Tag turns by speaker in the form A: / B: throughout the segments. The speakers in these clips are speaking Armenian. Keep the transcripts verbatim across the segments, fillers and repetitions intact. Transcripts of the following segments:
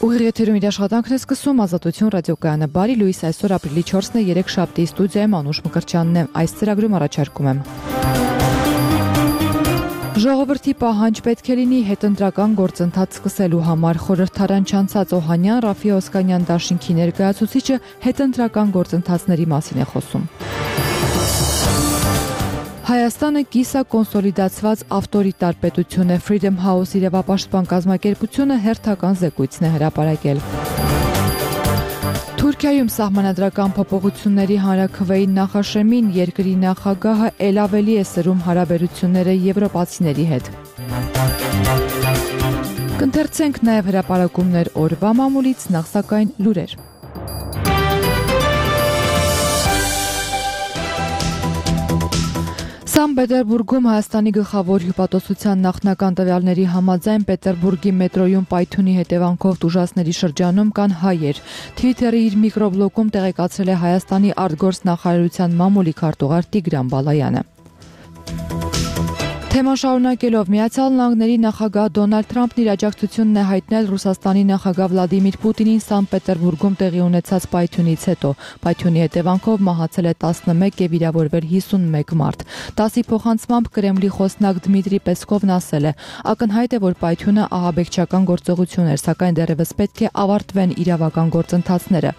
A: Ուղիղ եթերում իր աշխատանքն է սկսում Ազատություն ռադիոկայանը։ Բարի լույս, այսօր ապրիլի չորսն է, երեքշաբթի, ստուդիայում Անուշ Մկրտչյանն է։ Այս ծրագրում առաջարկում եմ. Ժողովրդի պահանջ պետք է լինի հետընտրական գործընթաց սկսելու համար։ Խորհրդարան չանցած Օհանյան Ռաֆի Օսկանյան դաշինքի ներկայացուցիչը հետընտրական գործընթացների մասին է խոսում։ Հայաստանը կիսակոնսոլիդացված ավտորիտար պետություն է, Freedom House իրավապաշտպան կազմակերպությունը հերթական զեկույցն է հրապարակել։ Թուրքիայում սահմանադրական փոփոխությունների հանրաքվեին նախաշեմին երկրի նախագահը ել ավելի է սրում հարաբերությունները եվրոպացիների հետ։ Կընթերցենք նաև հրապարակումներ օրվա մամուլից, նախ սակայն լուրեր։ Սանկտ Պետերբուրգում Հայաստանի գլխավոր հյուպատոսության նախնական տվյալների համաձայն Պետերբուրգի մետրոյում պայթյունի հետևանքով տուժածների շրջանում կան հայեր։ Թվիթերի իր միկրոբլոգում տեղեկացրել է Հայաստանի արտգործնախարարության մամուլի քարտուղար Տիգրան Բալայանը։ Թեման շարունակելով Միացյալ Նահանգների նախագահ Դոնալդ Թրամփն իր աջակցությունն է հայտնել Ռուսաստանի նախագահ Վլադիմիր Պուտինին Սանկտ Պետերբուրգում տեղի ունեցած պայթյունից հետո։ Պայթյունի հետևանքով մահացել է տասնմեկ եւ վիրավորվել հիսունմեկ մարդ։ տասի փոխանցմամբ Կրեմլի խոսնակ Դմիտրի Պեսկովն ասել է. ակնհայտ է, որ պայթյունը ահաբեկչական գործողություն էր, սակայն դեռևս պետք է ավարտվեն իրավական գործընթացները։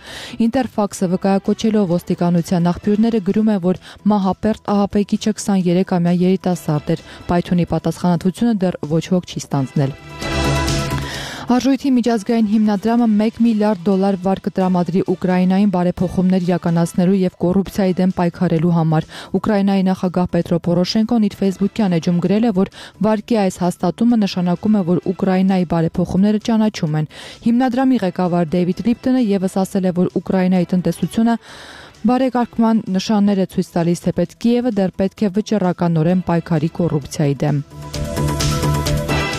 A: Ինտերֆաքսը վկայակոչելով ոստիկանության աղբյուրները գրում է, որ մահապերտ ահաբեկիչը քսաներեքամյա երիտասարդ էր։ Պայթյունի պատասխանատվությունը դեռ ոչ ոք չի ստանձնել։ Արժույթի միջազգային հիմնադրամը մեկ միլիարդ դոլար վար կտրամադրի Ուկրաինային բարեփոխումներ իրականացնելու եւ կոռուպցիայի դեմ պայքարելու համար։ Ուկրաինայի նախագահ Պետրո Պորոշենկոն իր Facebook-յան էջում գրել է, որ վարկի այս հաստատումը նշանակում է, որ Ուկրաինայի բարեփոխումները ճանաչում են։ Հիմնադրամի ղեկավար Դեյվիդ Լիպտոնը եւս ասել է, որ Ուկրաինայի տնտեսությունը բարեկարգման նշաններ է ցույց տալիս, թեպետ Կիևը դեռ պետք է վճռականորեն պայքարի կոռուպցիայի դեմ։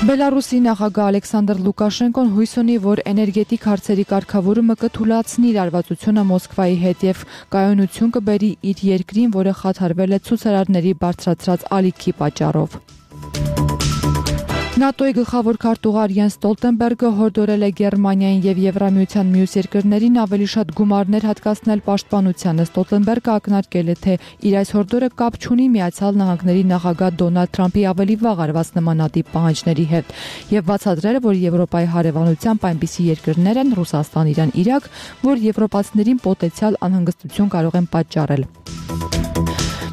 A: Բելարուսի նախագահ Ալեքսանդր Լուկաշենկոն հույս ունի, որ էներգետիկ հարցերի կարգավորումը կթույլատնի լարվածությունը Մոսկվայի հետ եւ կայունություն կբերի իր երկրին, որը խաթարվել է ցուցարարների բարձրացրած ալիքի պատճառով։ ՆԱՏՕ-ի գլխավոր քարտուղար Յենս Ստոլտենբերգը հորդորել է Գերմանիային եւ Եվրամիության մյուս երկրներին ավելի շատ գումարներ հատկացնել պաշտպանությանը։ Ստոլտենբերգը ակնարկել է, թե իր այս հորդորը կապ չունի Միացյալ Նահանգների նախագահ Դոնալդ Թրամփի ավելի վաղ արված նմանատիպ պահանջների հետ եւ բացատրել, որ Եվրոպայի հարևանությամբ այնպիսի երկրներ են Ռուսաստան, Իրան, Իրաք, որ եվրոպացիներին պոտենցիալ անհանգստություն կարող են պատճառել։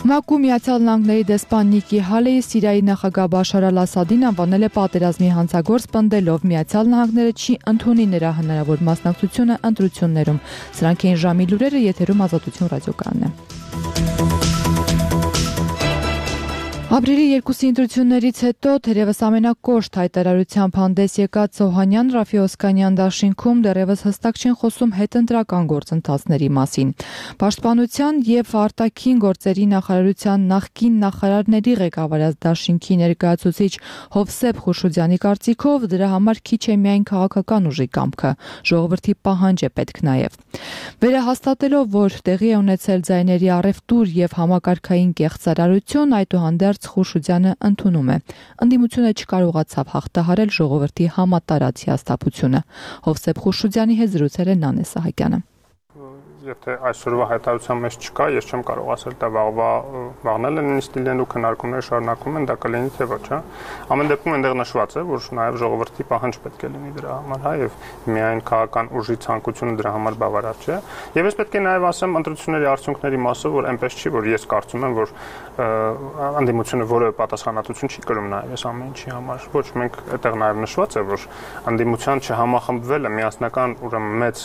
A: ՄԱԿ-ում Միացյալ Նահանգների դեսպան Նիկի Հալեյը Սիրիայի նախագահ Բաշար Ալ-Ասադին անվանել է պատերազմի հանցագործ, պնդելով Միացյալ Նահանգները չի ընդունի նրա հնարավոր մասնակցությունը ընտրություններում։ Սրանք էին ժամի լուրերը, եթերում Ազատություն ռադիոկայանն է։ Ապրիլի երկուսի ընտրություններից հետո թերևս ամենակոշտ հայտարարությամբ հանդես եկած Օհանյան Ռաֆի Օսկանյան դաշինքում դեռևս հստակ չեն խոսում հետընտրական գործընթացների մասին։ Պաշտպանության եւ արտաքին գործերի նախարարության նախկին նախարարների ղեկավարած դաշինքի ներկայացուցիչ Հովսեփ Խուշուդյանի կարծիքով դրա համար քիչ է միայն քաղաքական ուժի կամքը, ժողովրդի պահանջ է պետք նաեւ։ Վերահաստատելով, որ տեղի է ունեցել ձայների առևտուր եւ համակարգային կեղծարարություն, այդուհանդերձ Խուշուդյանը ընդունում է։ Ընդդիմությունը չկարողացավ հաղթահարել ժողովրդի համատարած հիասթափությունը։ Հովսեփ Խուշուդյանի հետ զրուցել է Նանե Սահակյանը։
B: Եթե այսօրվա հայտարարության մեջ չկա, ես չեմ կարող ասել, դա վաղվա վաղնել են նույնիսկ լինելու քննարկումները շարունակվում են, դա կլինի թե ոչ, հա։ Ամեն դեպքում այնտեղ նշված է, որ նաև ժողովրդի պահանջ պետք է լինի դրա համար, հա, եւ միայն քաղաքական ուժի ցանկությունը դրա համար բավարար չէ։ Եվ ես պետք է նաև ասեմ ընտրությունների արդյունքների մասով, որ այնպես չի, որ ես կարծում եմ, որ անդիմությունը որևէ պատասխանատվություն չի կրում նաև այս ամեն ինչի համար։ Ոչ, մենք այդտեղ նաև նշված է, որ անդիմության չհամախմբվելը միասնական ուրեմն մեծ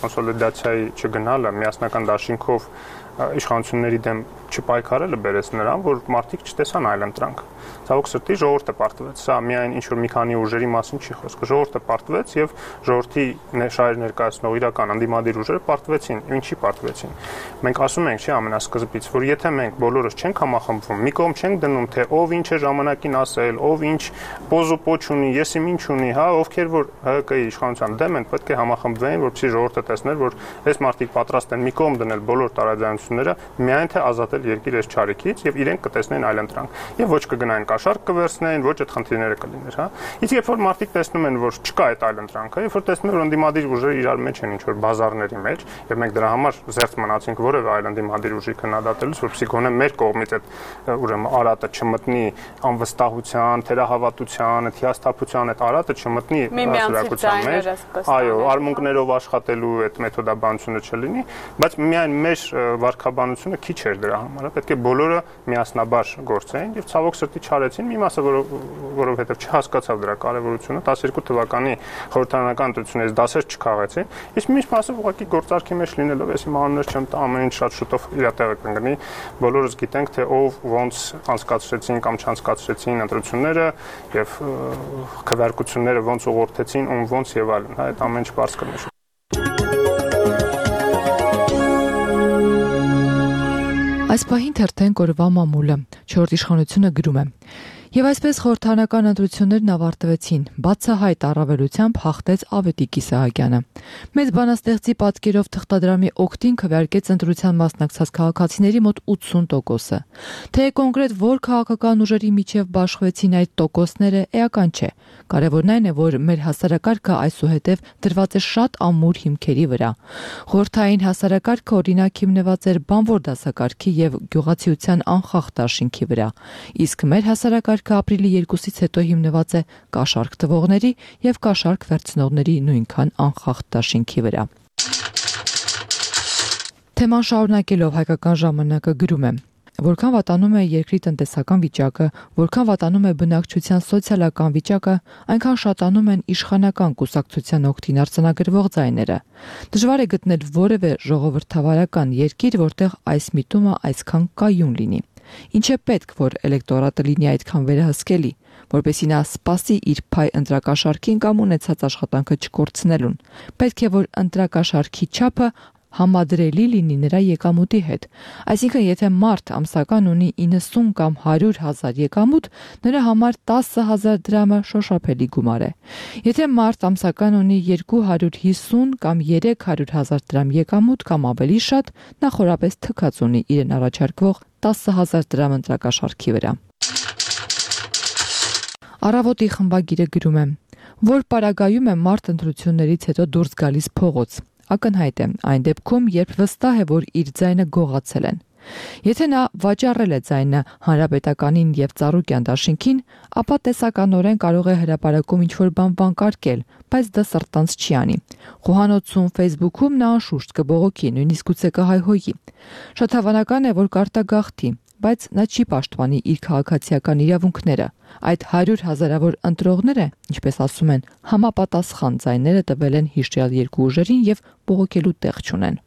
B: կոնսոլիդացիայի չգնալը, միասնական դաշինքով իշխանությունների դեմ չպայքարելը բերեց նրան, որ մարդիկ չտեսան այլընտրանք։ Ցավոք սրտի ժողովուրդը պարտվեց։ Սա միայն ինչ որ մի քանի ուժերի մասին չի խոսքը։ Ժողովուրդը պարտվեց եւ ժողովրդի շահեր ներկայացնող իրական անդիմադիր ուժերը պարտվեցին։ Ինչի պարտվեցին։ Մենք ասում ենք, չի ամենասկզբից, որ եթե մենք բոլորս չենք համախմբվում, մի կողմ չենք դնում, թե ով ինչ է ժամանակին ասել, ով ինչ պոզոպոչ ունի, եսի ինչ ունի, հա, ովքեր որ ՀԿ-ի իշխանության դեմ են, պետք է համախմբվեն, որպեսզի ժողովուրդը տեսներ, որ այս մարդիկ պատրաստ են մի կողմ դնել բոլոր տարաձայնությունները ընտրությունները միայն թե ազատել երկիր այս չարիքից եւ իրենք կտեսնեն այլընտրանք եւ ոչ կգնային կաշառք կվերցնեն, ոչ այդ խնդիրները կլիներ, հա։ Իսկ երբ որ մարդիկ տեսնում են, որ չկա այդ այլընտրանքը, երբ որ տեսնում են, որ ընդդիմադիր ուժերը իրար մեջ են ինչ-որ բազարների մեջ, եւ մենք դրա համար զերծ մնացինք որևէ այլ ընդդիմադիր ուժի քննադատելուց, որպեսզի գոնե մեր կողմից այդ ուրեմն արատը չմտնի անվստահության, թերահավատության, այդ հիասթափության այդ արատը չմտնի հասարակության մեջ, այո, արմունկներով աշխատելու այդ մեթոդաբանությունը չլինի, բայց միայն մեր վարքաբանությունը քիչ էր դրա համար, պետք է բոլորը միասնաբար գործեին եւ ցավոք սրտի չարեցին, մի մասը որովհետեւ չհասկացավ դրա կարեւորությունը, տասներկու թվականի խորհրդարանական ընտրություններից դասեր չքաղեցին, իսկ միշտ մասը ուղղակի գործարքի մեջ լինելով, ես իմ անուններ չեմ տա, ամեն ինչ շատ շուտով իր տեղը կընկնի, բոլորս գիտենք թե ով ոնց անցկացրեցին կամ չանցկացրեցին ընտրությունները եւ քվեարկությունները ոնց ուղղորդեցին, ում ոնց եւ այլն, հա, այդ ամեն ինչ բարձ կնշի։
A: Այս պահին թերթեն կորվա մամուլը, չորրորդ իշխանությունը գրում է. Եվ այսպես խորհրդարանական ընտրություններն ավարտվեցին, բացահայտ առավելությամբ հաղթեց Ավետիք Իսահակյանը։ Մեծ բանաստեղծի պատկերով թղթադրամի օգտին քվեարկեց ընտրության մասնակցած քաղաքացիների մոտ ութսուն տոկոսը։ Թե կոնկրետ որ քաղաքական ուժերի միջև բաշխվեցին այդ տոկոսները, էական չէ։ Կարևորն այն է, որ մեր հասարակարգը այսուհետև դրված է շատ ամուր հիմքերի վրա։ Խորհրդային հասարակարգը օրինակ հիմնված էր բանվոր դասակարգի եւ գյուղացիության անխախտ դաշինքի վրա, իսկ մեր հասարակարգը ապրիլի երկուսից հետո հիմնված է կաշառք տվողների եւ կաշառք վերցնողների նույնքան անխախտ դաշինքի վրա։ Թեման շարունակելով հայկական ժամանակը գրում է. Որքան վատանում է երկրի տնտեսական վիճակը, որքան վատանում է բնակչության սոցիալական վիճակը, այնքան շատանում են իշխանական կուսակցության օգտին արձանագրվող ձայները։ Դժվար է գտնել որևէ ժողովրդավարական երկիր, որտեղ այս միտումը այսքան կայուն լինի։ Ինչ է պետք, որ էլեկտորատը լինի այդքան վերահսկելի, որպեսզի նա սպասի իր փայ ընտրակաշառքին կամ ունեցած աշխատանքը չկորցնելուն։ Պետք է, որ ընտրակաշառքի չափը համադրելի լինի նրա եկամուտի հետ։ Այսինքն, եթե մարդ ամսական ունի իննսուն կամ հարյուր հազար եկամուտ, նրա համար տասը հազար դրամը շոշափելի գումար է։ Եթե մարդ ամսական ունի երկու հարյուր հիսուն կամ երեք հարյուր հազար դրամ եկամուտ կամ ավելի շատ, նա խորապես թքած ունի իրեն առաջարկվող տասը հազար դրամ ընտրակաշառքի վրա։ Առավոտի խմբագիրը գրում է. Որ պարագայում է մարդ ընտրություններից հետո դուրս գալիս փողոց։ Ակնհայտ է այն դեպքում, երբ վստահ է, որ իր ձայնը գողացել են։ Եթե նա վաճառել է ձայնը հանրապետականին եւ Ծառուկյան դաշինքին, ապա տեսականորեն կարող է հրապարակում ինչ-որ բան վանկարկել, բայց դա սրտանց չի անի։ Խոհանոցում, Facebook-ում նա անշուշտ կբողոքի, նույնիսկ գուցե կհայհոյի։ Շատ հավանական է, որ կարտագաղթի, բայց նա չի պաշտպանի իր քաղաքացիական իրավունքները։ Այդ հարյուր հազարավոր ընտրողները, ինչպես ասում են, համապատասխան ձայները տվել են հիշյալ երկու ուժերին եւ բողոքելու տեղ չունեն։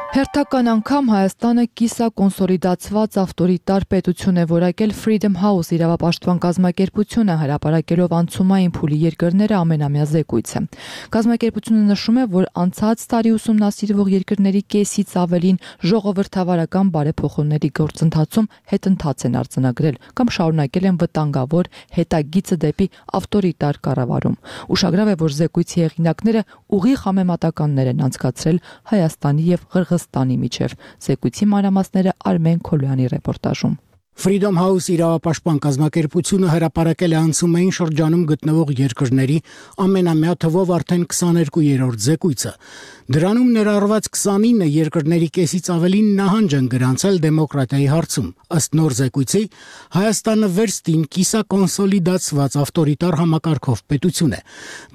A: Հերթական անգամ Հայաստանը կիսակոնսոլիդացված ավտորիտար պետություն է որակել Freedom House իրավապաշտպան կազմակերպությունը հրապարակելով անցումային փուլի երկրները ամենամյա զեկույցը։ Կազմակերպությունը նշում է, որ անցած տարի ուսումնասիրվող երկրների կեսից ավելին ժողովրդավարական բարեփոխումների գործընթացում հետընթաց են արձանագրել կամ շարունակել են վտանգավոր հետագիծը դեպի ավտորիտար կառավարում։ Ուշագրավ է, որ զեկույցի հեղինակները ուղիղ համեմատականներ են անցկացրել Հայաստանի եւ Ղրղըզստանի միջև։ Զեկույցի մանրամասները Արմեն Քոլյանի ռեպորտաժում։
C: Freedom House իրավապաշտպան կազմակերպությունը հրապարակել է անցումային շրջանում գտնվող երկրների ամենամյա թվով արդեն քսաներկուերորդ զեկույցը։ Դրանում ներառված քսանինը երկրների կեսից ավելին նահանջ են գրանցել դեմոկրատիայի հարցում։ Ըստ նոր զեկույցի, Հայաստանը վերստին կիսակոնսոլիդացված ավտորիտար համակարգով պետություն է։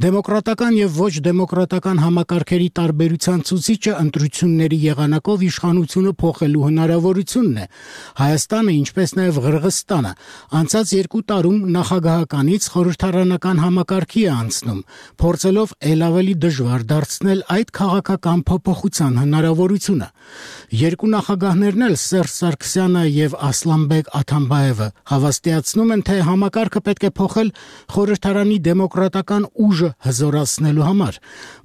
C: Դեմոկրատական եւ ոչ դեմոկրատական համակարգերի տարբերության ցուցիչը ընտրությունների եղանակով իշխանությունը փոխելու հնարավորությունն է։ Հայաստանը, ինչպես նաև Ղրղըզստանը, անցած երկու տարում նախագահականից խորհրդարանական համակարգի է անցնում, փորձելով ել ավելի դժվար դարձնել այդ քաղաքական փոփոխության հնարավորությունը։ Երկու նախագահներն էլ Սերժ Սարգսյանը եւ Ասլանբեկ Աթամբաևը հավաստիացնում են, թե համակարգը պետք է փոխել խորհրդարանի դեմոկրատական ուժը հզորացնելու համար,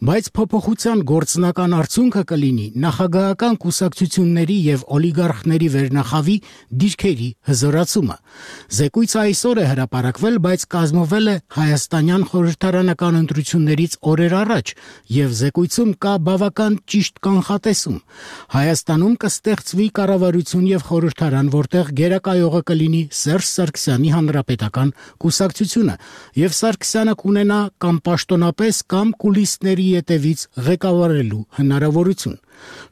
C: բայց փոփոխության գործնական արդյունքը կլինի նախագահական կուսակցությունների եւ օլիգարխների վերնախավի դիրքերի հզորացումը։ Զեկույցը այսօր է հրապարակվել, բայց կազմվել է հայաստանյան խորհրդարանական ընտրություններից օրեր առաջ, եւ զեկույցում կա բավական ճիշտ կանխատեսում։ Հայաստանում կստեղծվի կառավարություն եւ խորհրդարան, որտեղ գերակայողը կլինի Սերժ Սարգսյանի հանրապետական կուսակցությունը, եւ Սարգսյանը կունենա կամ պաշտոնապես կամ կուլիսների ետևից ղեկավարելու հնարավորություն։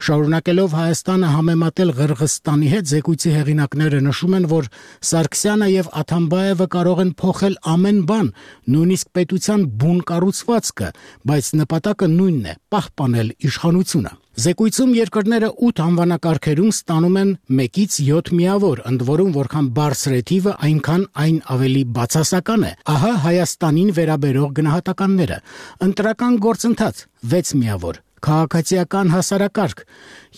C: Շարունակելով Հայաստանը համեմատել Ղրղըզստանի հետ, զեկույցի հեղինակները նշում են, որ Սարգսյանը եւ Աթամբաևը կարող են փոխել ամեն բան, նույնիսկ պետության բուն կառուցվածքը, բայց նպատակը նույնն է՝ պահպանել իշխանությունը։ Զեկույցում երկրները ութ անվանակարգերում ստանում են մեկից յոթ միավոր, ընդ որում որքան բարձր է թիվը, այնքան այն ավելի բացասական է։ Ահա Հայաստանին վերաբերող գնահատականները. ընտրական գործընթաց վեց միավոր, քաղաքացիական հասարակարգ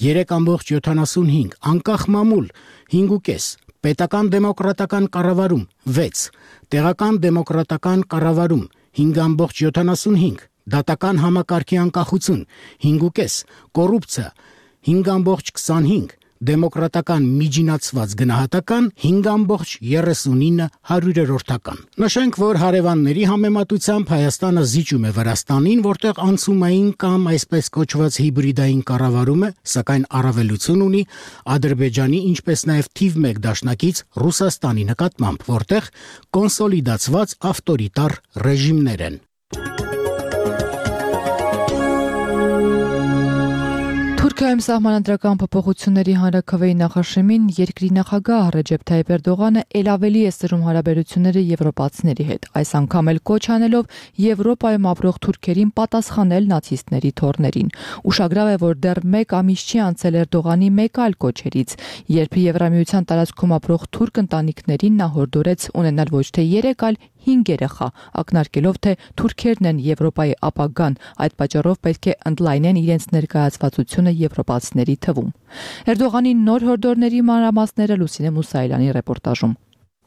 C: երեք կόμma յոթանասունհինգ, անկախ մամուլ հինգ կόμma պենս, պետական դեմոկրատական կառավարում վեց, տեղական դեմոկրատական կառավարում հինգ կόμma յոթանասունհինգ, դատական համակարգի անկախություն հինգ կόμma պենս, կոռուպցիա հինգ կόμma քսանհինգ, դեմոկրատական միջինացված գնահատական հինգ կόμma երեսունինը հարյուրերորդական։ Նշենք, որ հարևանների համեմատությամբ Հայաստանը զիջում է Վրաստանին, որտեղ անցումային կամ այսպես կոչված հիբրիդային կառավարում է, սակայն առավելություն ունի Ադրբեջանի, ինչպես նաև թիվ մեկ դաշնակից Ռուսաստանի նկատմամբ, որտեղ կոնսոլիդացված ավտորիտար ռեժիմներ են։
A: Թուրքիայում սահմանադրական փոփոխությունների հանրաքվեի նախաշեմին երկրի նախագահ Ռեջեփ Թայիփ Էրդողանը ել ավելի է սրում հարաբերությունները եվրոպացիների հետ, այս անգամ էլ կոչ անելով Եվրոպայում ապրող թուրքերին պատասխանել նացիստների թոռներին։ Ուշագրավ է, որ դեռ մեկ ամիս չի անցել Էրդողանի մեկ այլ կոչերից, երբ Եվրամիության տարածքում ապրող թուրք ընտանիքներին նա հորդորեց ունենալ ոչ թե երեք, այլ հինգ երեխա, ակնարկելով, թե թուրքերն են Եվրոպայի ապագան, այդ պատճառով պետք է ընդլայնեն իրենց ներկայացվածությունը եվրոպացիների թվում։ Էրդողանի նոր հորդորների մանրամասները Լուսինե Մուսայելյանի ռեպորտաժում։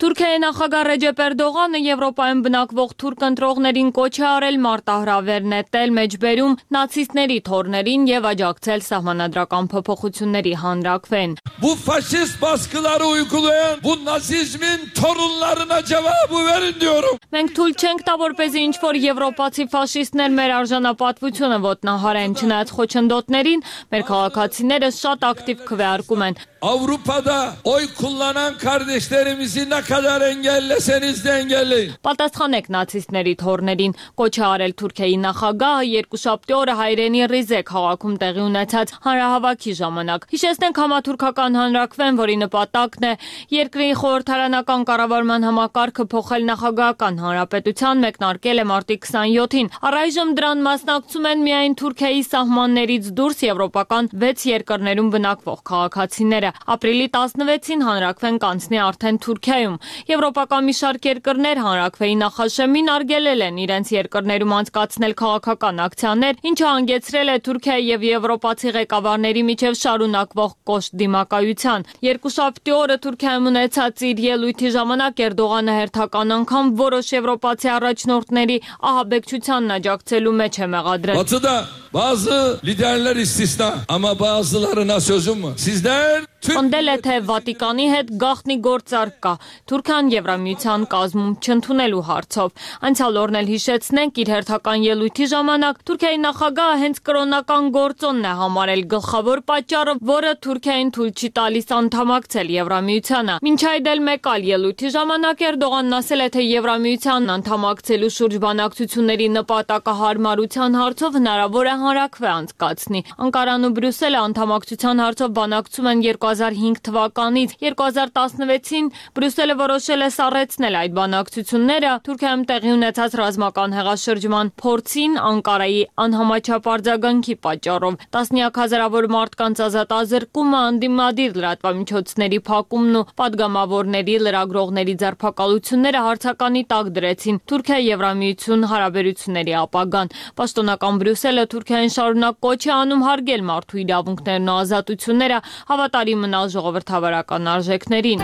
D: Թուրքիայի նախագահ Ռեջեփ Էրդողանը Եվրոպայում բնակվող թուրք ընտրողներին կոչ է արել մարտահրավեր նետել մեջբերում նացիստների թոռներին եւ աջակցել սահմանադրական փոփոխությունների հանրաքվեն։
E: Bu faşist baskıları uygulayan bu nazizmin torunlarına cevabı verin diyorum.
D: Մենք թույլ չենք տա, որպեսզի ինչ-որ եվրոպացի ֆաշիստներ մեր արժանապատվությունը ոտնահարեն, չնայած խոչընդոտներին, մեր քաղաքացիները շատ ակտիվ քվեարկում են։
E: Avrupa'da oy kullanan kardeşlerimizi ne kadar engelleseniz de engelleyin.
D: Պատասխանեք նացիստների թոռներին, կոչ է արել Թուրքիայի նախագահը երկուշաբթի օրը հայրենի Ռիզե քաղաքում տեղի ունեցած հանրահավաքի ժամանակ։ Հիշեցնենք համաթուրքական հանրաքվեն, որի նպատակն է երկրի խորհրդարանական կառավարման համակարգը փոխել նախագահական հանրապետության, մեկնարկել է մարտի քսանյոթին։ Առայժմ դրան մասնակցում են միայն Թուրքիայի սահմաններից դուրս եվրոպական վեց երկրներում բնակվող քաղաքացիները։ Ապրիլի տասնվեցին հանրաքվեն կանցնի արդեն Թուրքիայում։ Եվրոպական մի շարք երկրներ հանրաքվեի նախաշեմին արգելել են իրենց երկրներում անցկացնել քաղաքական ակցիաներ, ինչը հանգեցրել է Թուրքիայի եւ եվրոպացի ղեկավարների միջև շարունակվող կոշտ դիմակայության։ Երկուշաբթի օրը Թուրքիայում ունեցած իր ելույթի ժամանակ Էրդողանը հերթական անգամ որոշ եվրոպացի առաջնորդների ահաբեկչությանն աջակցելու մեջ է մեղադրել։
E: Batı'da bazı liderler istisna ama bazılarına sözüm var. Sizler
D: Ընդել է, թե Վատիկանի հետ գաղտնի գործարք կա Թուրքիան Եվրամիության կազմում չընդունելու հարցով։ Անցյալ օրն էլ հիշեցնենք, իր հերթական ելույթի ժամանակ Թուրքիայի նախագահը հենց կրոնական գործոնն է համարել գլխավոր պատճառը, որը Թուրքիային թույլ չի տալիս անդամակցել Եվրամիությանը։ Մինչ այդ էլ մեկ այլ ելույթի ժամանակ Էրդողանն ասել է, թե Եվրամիությանն անդամակցելու շուրջ բանակցությունների նպատակահարմարության հարցով հնարավոր է հանրաքվե անցկացնի։ Անկարան ու Բրյուսելը անդամակցության հարցով բանակցում են երկու հազար հինգ թվականից երկու հազար տասնվեցին Բրյուսելը որոշել է սառեցնել այդ բանակցությունները Թուրքիայում տեղի ունեցած ռազմական հեղաշրջման փորձին Անկարայի անհամաչափ արձագանքի պատճառով։ Տասնյակ հազարավոր մարդկանց ազատազրկումը, անդիմադիր լրատվամիջոցների փակումն ու պատգամավորների լրագրողների ձերբակալությունները հարցականի տակ դրեցին Թուրքիա Եվրամիություն հարաբերությունների ապագան։ Պաշտոնական Բրյուսելը Թուրքիային շարունակ կոչ է անում հարգել մարդու իրավունքներն ու ազատությունները, հավատարիմ մնալ ժողովրդավարական արժեքներին։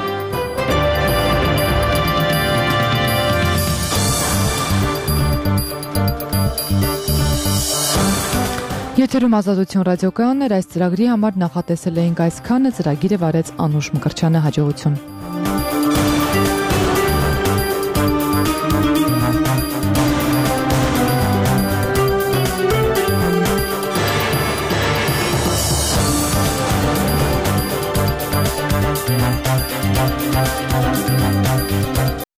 A: Եթերում Ազատություն ռադիոկայանն էր, այս ծրագրի համար նախատեսել էինք այսքանը, ծրագիրը վարեց Անուշ Մկրտչյանը, հաջողություն։